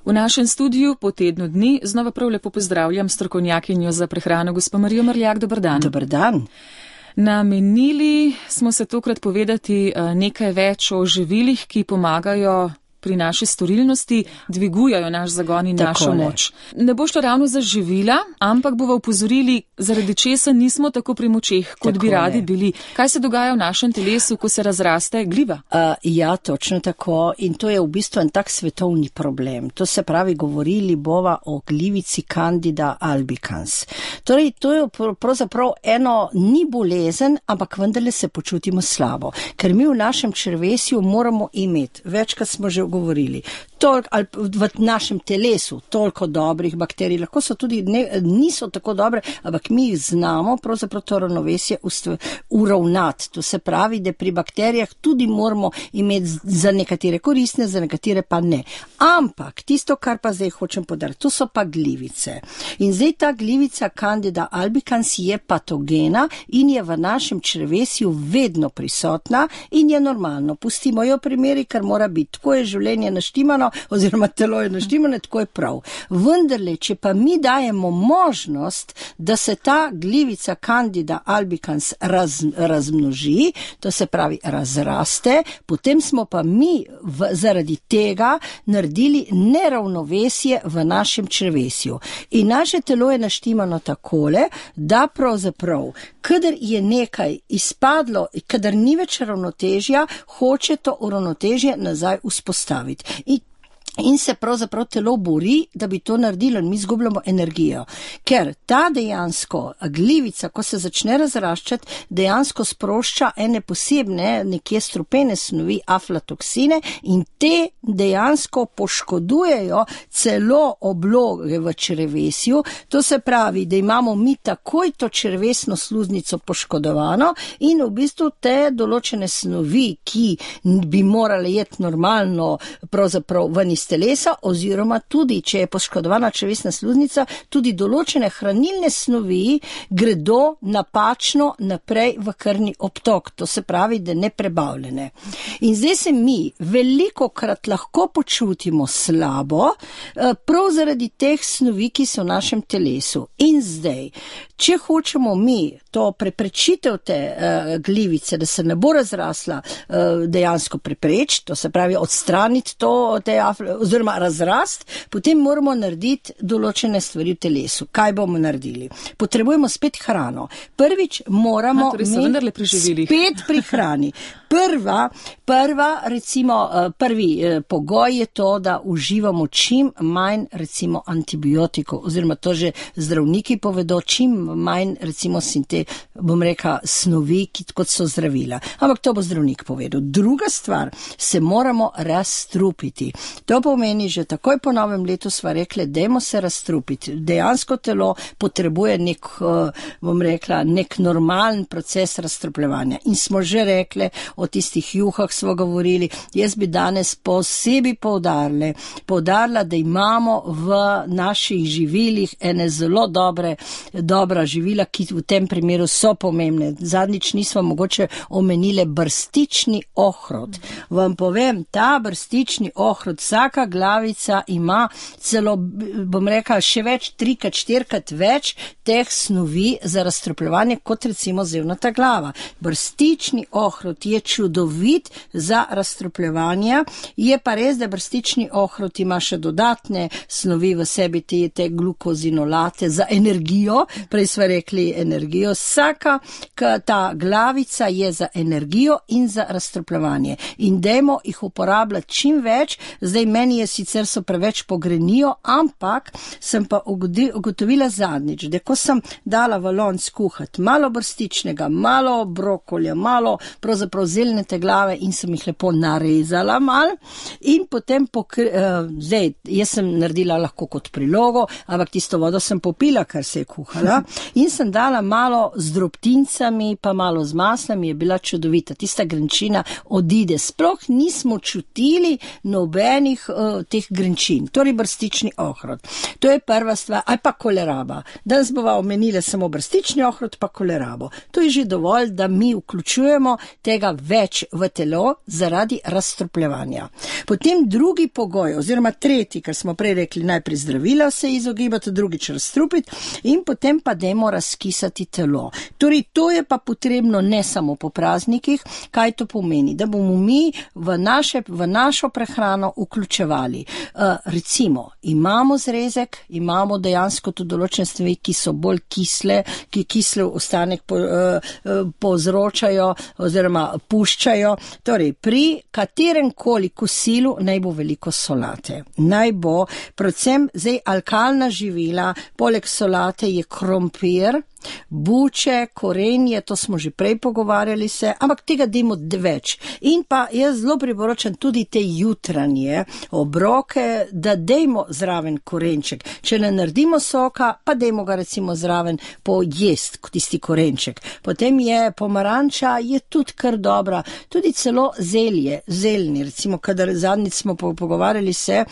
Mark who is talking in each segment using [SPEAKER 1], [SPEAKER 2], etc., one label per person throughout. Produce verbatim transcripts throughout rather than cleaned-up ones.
[SPEAKER 1] V našem studiu po tednu dni znova prav lepo pozdravljam strokovnjakinjo za prehrano gospo Marijo Mrljak. Dober dan.
[SPEAKER 2] Dober dan.
[SPEAKER 1] Namenili smo se tokrat povedati nekaj več o živilih, ki pomagajo pri naši storilnosti, dvigujajo naš zagon in našo moč. Ne bo šlo ravno za živila, ampak bova upozorili, zaradi česa nismo tako pri močeh, kot bi radi bili. Kaj se dogaja v našem telesu, ko se razraste gliva?
[SPEAKER 2] Uh, ja, točno tako. In to je v bistvu en tak svetovni problem. To se pravi, govorili bova o glivici Candida albicans. Torej, to je pravzaprav eno, ni bolezen, ampak vendarle se počutimo slabo. Ker mi v našem črevesju moramo imeti, večkrat smo že govorili, toliko, ali v našem telesu toliko dobrih bakterij, lahko so tudi, ne, niso tako dobre, ampak mi jih znamo pravzaprav to ravnovesje uravnati. To se pravi, da pri bakterijah tudi moramo imeti za nekatere koristne, za nekatere pa ne. Ampak tisto, kar pa zdaj hočem podariti, to so pa glivice. In zdaj ta glivica Candida albicans je patogena in je v našem črevesju vedno prisotna in je normalno. Pustimo jo primeri, kar mora biti. Tako je življenje naštimano, oziroma telo je naštimano, tako je prav. Vendarle, če pa mi dajemo možnost, da se ta glivica Candida albicans raz, razmnoži, to se pravi razraste, potem smo pa mi v, zaradi tega naredili neravnovesje v našem črevesju. In naše telo je naštimano takole, da pravzaprav, kadar je nekaj izpadlo, kadar ni več ravnotežja, hoče to uravnotežje nazaj vzpostaviti. In In se pravzaprav telo bori, da bi to naredilo in mi izgubljamo energijo. Ker ta dejansko glivica, ko se začne razraščati, dejansko sprošča ene posebne, nekje strupene snovi, aflatoksine, in te dejansko poškodujejo celo obloge v črevesju. To se pravi, da imamo mi takoj to črevesno sluznico poškodovano in v bistvu te določene snovi, ki bi morale jeti normalno pravzaprav ven iz telesa, oziroma tudi, če je poškodovana črevesna sluznica, tudi določene hranilne snovi gredo napačno naprej v krvni obtok, to se pravi, da neprebavljene. In zdaj se mi velikokrat lahko počutimo slabo, prav zaradi teh snovi, ki so v našem telesu. In zdaj, če hočemo mi to preprečitev te uh, glivice, da se ne bo razrasla, uh, dejansko preprečiti, to se pravi odstraniti to, te oziroma razrast, potem moramo narediti določene stvari v telesu. Kaj bomo naredili? Potrebujemo spet hrano. Prvič moramo
[SPEAKER 1] A, torej
[SPEAKER 2] mi
[SPEAKER 1] pri
[SPEAKER 2] spet pri hrani. Prva, prva, recimo, prvi pogoj je to, da uživamo čim manj, recimo, antibiotikov, oziroma to že zdravniki povedo, čim manj, recimo, sinte, bom rekla, snovi, kot so zdravila. Ampak to bo zdravnik povedal. Druga stvar, se moramo razstrupiti. To pomeni, že takoj po novem letu sva rekli, dajmo se razstrupiti. Dejansko telo potrebuje nek, bom rekla, nek normalen proces razstrupljevanja. In smo že rekli, o tistih juhah smo govorili, jaz bi danes posebej poudarila, poudarila, da imamo v naših živilih ene zelo dobre, dobra živila, ki v tem primeru so pomembne. Zadnjič nismo mogoče omenile brstični ohrod. Vam povem, ta brstični ohrod, vsaka glavica ima celo, bom rekla, še več, trikrat, štirikrat več teh snovi za razstrupljevanje, kot recimo zevnata glava. Brstični ohrod je čudovit za razstrupljevanje, je pa res, da brstični ohrod ima še dodatne snovi v sebi, te, te glukozinolate za energijo, prej smo rekli energijo, vsaka ta glavica je za energijo in za razstrupljevanje. In dajmo jih uporabljati čim več, zdaj meni je sicer so preveč pogrenijo, ampak sem pa ugotovila zadnjič, da ko sem dala v lonc kuhati malo brstičnega, malo brokolja, malo pravzaprav zeljnete glave in sem jih lepo narezala mal in potem pokri, uh, zdaj, jaz sem naredila lahko kot prilogo, ampak tisto vodo sem popila, kar se je kuhala in sem dala malo z drobtincami, pa malo z maslami, je bila čudovita, tista grenčina odide, sploh nismo čutili nobenih uh, teh grenčin, torej brstični ohrod. To je prva stvar, ali pa koleraba. Danes bova omenila samo brstični ohrod pa kolerabo. To je že dovolj, da mi vključujemo tega več v telo zaradi razstrupljevanja. Potem drugi pogoj, oziroma tretji, kar smo prej rekli, najprej zdravila se izogibati, drugič razstrupiti in potem pa dajmo razkisati telo. Torej, to je pa potrebno ne samo po praznikih. Kaj to pomeni? Da bomo mi v, naše, v našo prehrano vključevali. Uh, recimo, imamo zrezek, imamo dejansko tudi določene stvari, ki so bolj kisle, ki kisle ostanek po, uh, povzročajo oziroma puščajo. Torej, pri katerem koli kosilu naj bo veliko solate. Naj bo, predvsem zdaj alkalna živila, poleg solate je krompir, buče, korenje, to smo že prej pogovarjali se, ampak tega dajmo več. In pa jaz zelo priporočam tudi te jutranje obroke, da dajmo zraven korenček. Če ne naredimo soka, pa dajmo ga recimo zraven pojest, tisti korenček. Potem je pomaranča, je tudi kar dobra, tudi celo zelje, zeljni, recimo, kadar zadnjič smo pogovarjali se,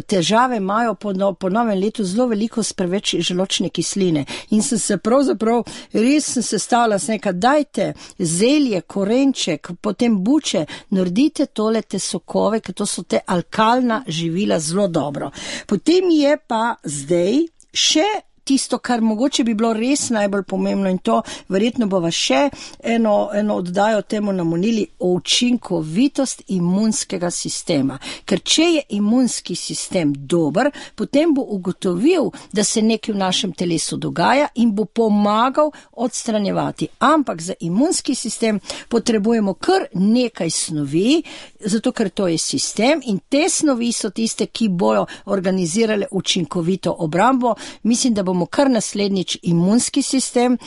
[SPEAKER 2] težave imajo po, no, po novem letu zelo veliko s preveč želočne kisline. In sem se prav Pravzaprav res sem se stala s nekaj, dajte zelje, korenček, potem buče, naredite tole te sokove, ker to so te alkalna živila zelo dobro. Potem je pa zdaj še tisto, kar mogoče bi bilo res najbolj pomembno in to verjetno bova še eno, eno oddajo temu namonili, učinkovitost imunskega sistema. Ker če je imunski sistem dober, potem bo ugotovil, da se nekaj v našem telesu dogaja in bo pomagal odstranjevati. Ampak za imunski sistem potrebujemo kar nekaj snovi, zato ker to je sistem in te snovi so tiste, ki bojo organizirale učinkovito obrambo. Mislim, da bomo kar naslednjič imunski sistem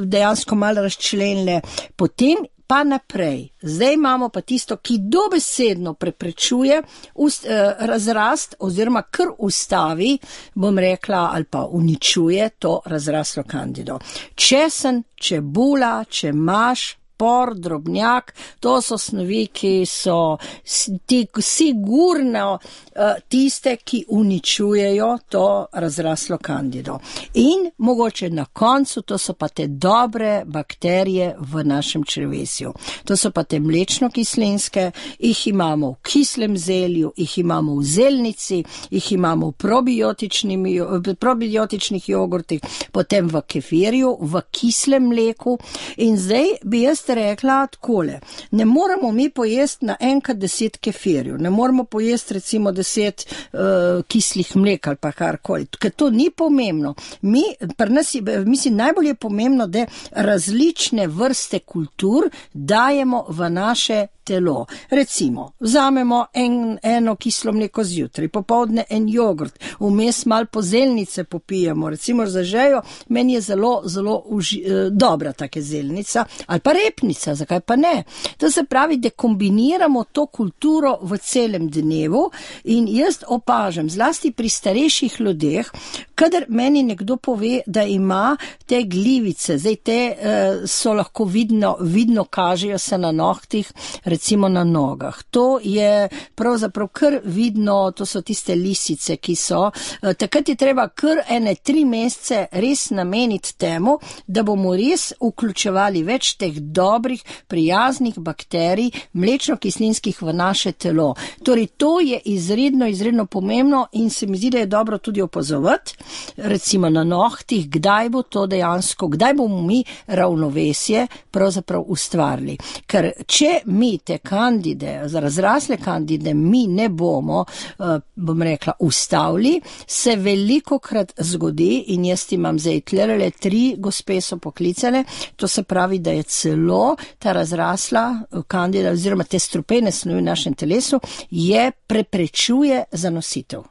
[SPEAKER 2] dejansko malo razčlenile. Potem pa naprej. Zdaj imamo pa tisto, ki dobesedno preprečuje ust, eh, razrast oziroma kar ustavi, bom rekla, ali pa uničuje to razraslo kandido. Česen, čebula, čemaž, por, drobnjak, to so snovi, ki so ti, sigurno uh, tiste, ki uničujejo to razraslo kandido. In mogoče na koncu, to so pa te dobre bakterije v našem črevesju. To so pa te mlečno-kislinske, jih imamo v kislem zelju, jih imamo v zelnici, jih imamo v probiotičnih jogurtih, potem v kefirju, v kislem mleku. In zdaj bi jaz rekla takole, ne moramo mi pojesti na enkrat deset kefirjev, ne moramo pojesti recimo deset uh, kislih mlek ali pa karkoli, ker to ni pomembno. Mi, pri nas, mislim, najbolj je pomembno, da različne vrste kultur dajemo v naše telo. Recimo, vzamemo en, eno kislo mleko zjutraj, popoldne en jogurt, vmes malo pozelnice popijemo, recimo za žejo, meni je zelo, zelo uži, eh, dobra take zelnica, ali pa repnica, zakaj pa ne? To se pravi, da kombiniramo to kulturo v celem dnevu in jaz opažam, zlasti pri starejših ljudeh, kadar meni nekdo pove, da ima te glivice, zdaj te eh, so lahko vidno, vidno kažejo se na nohtih, recimo na nogah. To je pravzaprav kar vidno, to so tiste lisice, ki so. Takrat je treba kar ene tri mesece res nameniti temu, da bomo res vključevali več teh dobrih, prijaznih bakterij, mlečno-kislinskih v naše telo. Torej, to je izredno, izredno pomembno in se mi zdi, da je dobro tudi opazovati, recimo na nohtih, kdaj bo to dejansko, kdaj bomo mi ravnovesje pravzaprav ustvarili. Ker če mi te kandide, razrasle kandide, mi ne bomo, bom rekla, ustavili, se veliko krat zgodi in jaz imam zdaj tlerele, tri gospe so poklicane, to se pravi, da je celo ta razrasla kandida oziroma te strupene snovi v našem telesu je preprečuje zanositev.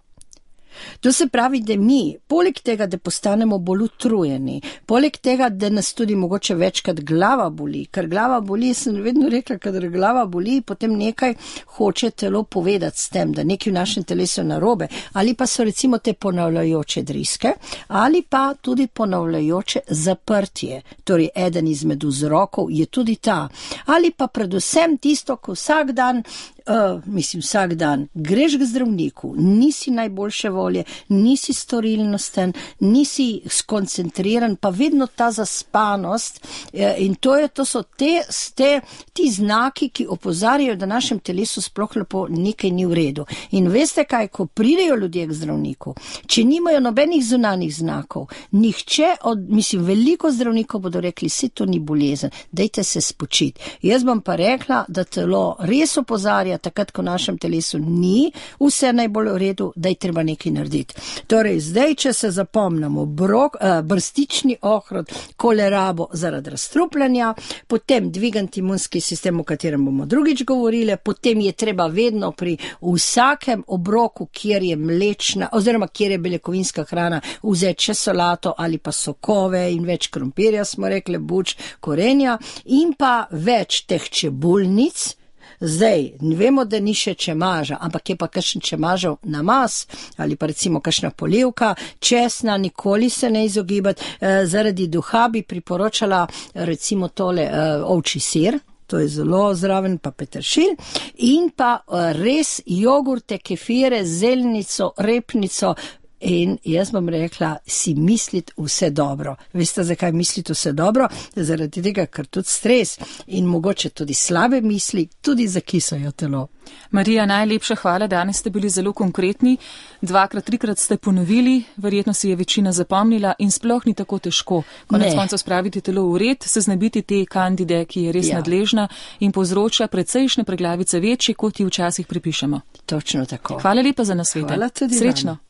[SPEAKER 2] To se pravi, da mi, poleg tega, da postanemo bolj utrujeni, poleg tega, da nas tudi mogoče večkrat glava boli, ker glava boli, sem vedno rekla, kadar glava boli, potem nekaj hoče telo povedati s tem, da nekaj v našem telesu narobe, ali pa so recimo te ponavljajoče driske, ali pa tudi ponavljajoče zaprtje, torej eden izmed vzrokov je tudi ta, ali pa predvsem tisto, ko vsak dan uh, mislim, vsak dan greš k zdravniku, nisi najboljše volje, nisi storilnosten, nisi skoncentriran, pa vedno ta zaspanost in to, je, to so te, te, ti znaki, ki opozarjajo, da našem telesu sploh lepo nekaj ni v redu. In veste kaj, ko pridejo ljudje k zdravniku, če nimajo nobenih zunanjih znakov, nihče od, mislim, veliko zdravnikov bodo rekli, se to ni bolezen, dajte se spočiti. Jaz bom pa rekla, da telo res opozarja, takrat, ko v našem telesu ni vse najbolj v redu, da je treba nekaj narediti. Torej, zdaj, če se zapomnimo, brok, uh, brstični ohrod, kolerabo zaradi razstrupljanja, potem dvigant imunski sistem, o katerem bomo drugič govorili, potem je treba vedno pri vsakem obroku, kjer je mlečna, oziroma kjer je beljakovinska hrana, vzeti še solato ali pa sokove in več krompirja, smo rekli, buč, korenja in pa več teh čebulnic. Zdaj, vemo, da ni še čemaža, ampak je pa kakšen čemažev namaz ali pa recimo kakšna polivka, česna, nikoli se ne izogibati. E, zaradi duha bi priporočala recimo tole e, ovčji sir, to je zelo zraven, pa peteršilj in pa e, res jogurte, kefire, zelnico, repnico. In jaz bom rekla, si misliti vse dobro. Veste, zakaj misliti vse dobro? Zaradi tega, ker tudi stres in mogoče tudi slabe misli tudi zakisajo telo.
[SPEAKER 1] Marija, najlepša hvala, danes ste bili zelo konkretni. Dvakrat, trikrat ste ponovili, verjetno si je večina zapomnila in sploh ni tako težko. Konec koncev spraviti telo v red, se znebiti te kandide, ki je res ja. nadležna in povzroča precejšnje preglavice večje, kot ji včasih pripišemo.
[SPEAKER 2] Točno tako.
[SPEAKER 1] Hvala lepa za nasvete.
[SPEAKER 2] Hvala tudi
[SPEAKER 1] Srečno.
[SPEAKER 2] Vam.